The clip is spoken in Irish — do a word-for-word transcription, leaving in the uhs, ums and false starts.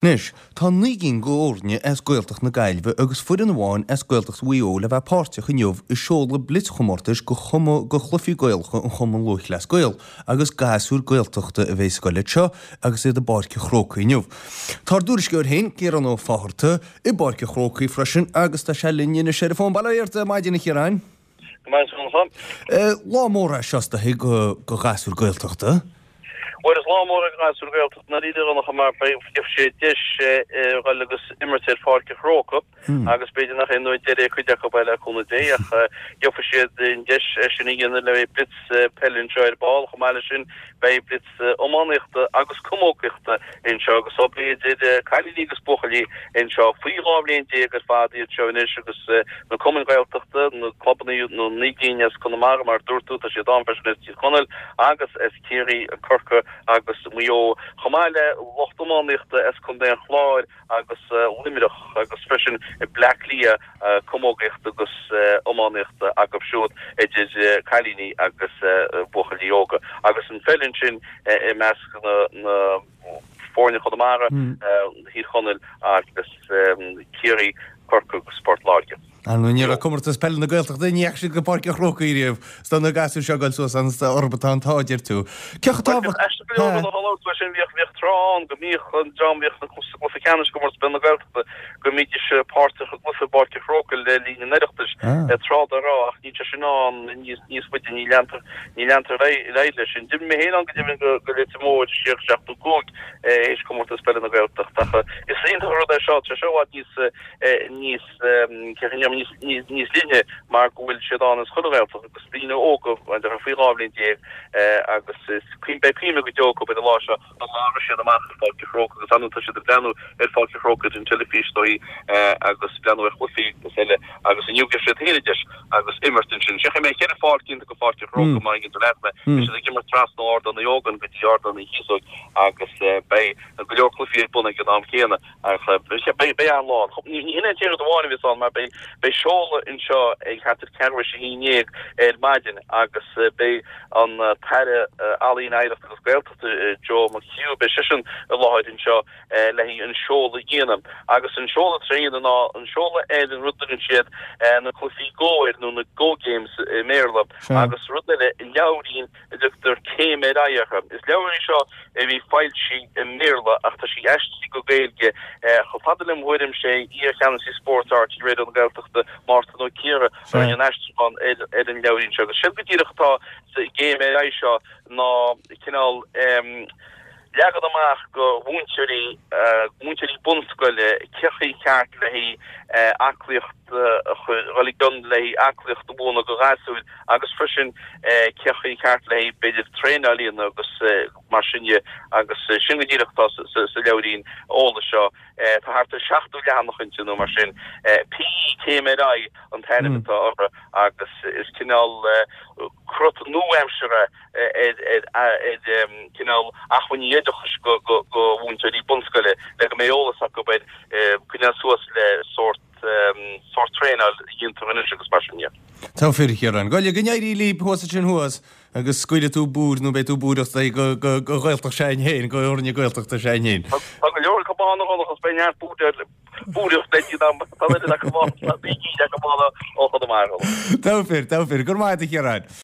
Anois, tá naoi gcinn d'fhoirne as Gaeltacht na Gaillimhe agus foireann amháin as Gaeltacht Mhaigh Eo le bheith páirteach inniu i seoladh blitzchomórtais do do chluichí Gaelacha an Chumann Lúthchleas Gael agus gasúir Gaeltachta a bheidh ag goil leis seo agus iad i bPáirc an Chrócaigh inniu. Tá ár dtuairisceoir féin, Ciarán Ó Fátharta, i bPáirc an Chrócaigh freisin agus tá sé linn anois ar an bhfón. Bail ó Dhia ort ar maidin a Chiaráin. Go maith a Dhonncha. Lá mór é seo is dóichí do ghasúir Gaeltachta. Bhuel, is lá mór é do ghasúir Ghaeltachta i ndáiríre a Dhonncha mar gheobhaidh siad deis a dhul agus imirt ar Pháirc an Chrócaigh agus b'fhéidir nach é an uair deiridh ag cuid acu é le cúnamh Dé ach gheobhaidh siad an deis é sin a dhéanamh le blitz peile anseo ar ball. Chomh maith leis sin beidh blitz iománaíochta agus camógaíochta anseo agus so beidh idir cailíní agus buachaillí anseo faoi dhá bhliain déag ar fad iad seo anois agus na cumainn Ghaeltachta, na clubanna na naoi gcinn as Conamara mar a dúirt tú, tá siad ann freisin as Tír Chonaill agus as Ciarraí, Corcaigh agus Maigh Eo, chomh maith le lucht iománaíochta as Contae an Chláir agus Luimneach agus freisin Bleá Cliath, camógaíocht agus iománaíocht acu siúd idir cailíní agus buachaillí óga. Agus an pheil ansin i measc na foirne Chonamara, Thír Chonaill agus Ciarraí, Corcaigh agus Port Láirge. Ar ndóigh, ní raibh Comórtas Peile na Gaeltachta, ní dheachaigh siad go Páirc an Chrócaigh riamh. Is do na gasúir seo ag goil suas ann, is orthu atá an t-ádh, deir tú. Cé chomh tábhachtach. Bhuel, aisteach go leor, a labhairt faoi sin, bhíodh, bhíodh tráth ann go mbíodh an dream a bhíodh sa gcluiche ceannais i gComórtas Peile na Gaeltachta, go mbídís páirteach i gcluiche i bPáirc an Chrócaigh le linn an Oireachtais, tráth dá raibh, ach níl sé sin ann níos, níos faide, ní leantar, ní leantar ar aghaidh leis sin. D'imir mé féin ann go deimhin go, go Leitir Móir siar i seachtó cúig, théis Comórtas Peile na Gaeltachta ach is iontach an rud é seo, tá sé seo i bhfad níos, níos níos linne mar go bhfuil siad ann as chuile Ghaeltacht agus daoine óga faoi dhá bhliain déag agus is beidh cuimhne go deo acu ar an lá seo an lá a raibh siad amach ar Pháirc an Chrócaigh agus ar ndóigh tá siad ag breathnú ar Pháirc an Chrócaigh ar an teilifís is dóigh agus breathnú ar chluichí agus eile agus inniu gheobhaidh siad féin an deis agus imirt ansin. Seachfaidh mé ceithre pháirc iontach go Pháirc an Chrócaigh mar an leat mé beidh siad ag imirt trasna ó Ardán Uí Ógáin go dtí Ardán Uí Chíosóg agus beidh go leor cluichí ar bun ag an am céanna. Ach beidh an-lá ann. Ní hin é an t-aon rud amháin a bheas ann mar beidh seoladh anseo ag thart ar ceathrú théis a haon déag ar maidin agus beidh an tAire Ealaíon, Oidhreachta agus Gaeltachta Joe McHugh, beidh seisean i láthair anseo le haghaidh an seoladh a dhéanamh. Agus an seoladh atá sé a dhéanamh ná an seoladh ar an rud a dtugann siad na cluichí Go air nó na Go Games i mBéarla agus rud eile, leabhairín a dtugtar Céim ar Aghaidh uirthi. Is leabhar í seo a bhí foilsithe i mBéarla ach tá sí aistrithe go Gaeilge. Chomh fada lem thuairim sé iar-cheannasaí spóirt RTÉ Raidió na Gaeltachta, Mártan Ó Ciardha, a rinne an aistriúchán ar an leabhairín seo. Agus séard go díreach atá sa gCéim ar Aghaidh seo ná cineál leagan amach go mhúinteoirí, múinteoirí bunscoile, cén chaoi cheart le haghaidh aclaíocht a chur, dhul i gcionn le haghaidh aclaíocht a mhúineadh do ghasúir agus freisin cén chaoi cheart le haghaidh b'fhéidir traenáil a dhéanamh agus mar sin dhe agus sin go díreach atá sa leabhairín eolais seo. Tá thart ar seachtó leathanach inti nó mar sin. PE Céim ar Aghaidh an t-ainm atá uirthi agus is cineál crot nua-aimseartha ar cineál acmhainní oideachais do mhúinteoirí bunscoile le go mbeidh eolas acu ar coinneáil suas le sórt sórt traenáil a dhéantar anois agus mar sin de. Tá fíor, a Chiaráin. Go n-éirí libh thuas ansin thuas agus scaoilfidh tú búir nó beidh tú búireach do Ghaeltacht s'againn féin, do fhoirne Gaeltachta s'againn féin. Tá go leor acu ann a Dhonncha agus beidh neart búireacht le déanamh tá oiread acu ann, tá naoi gcinn acu ann ó Chonamara. Tá fíor, tá fíor. Go raibh maith agat a Chiaráin.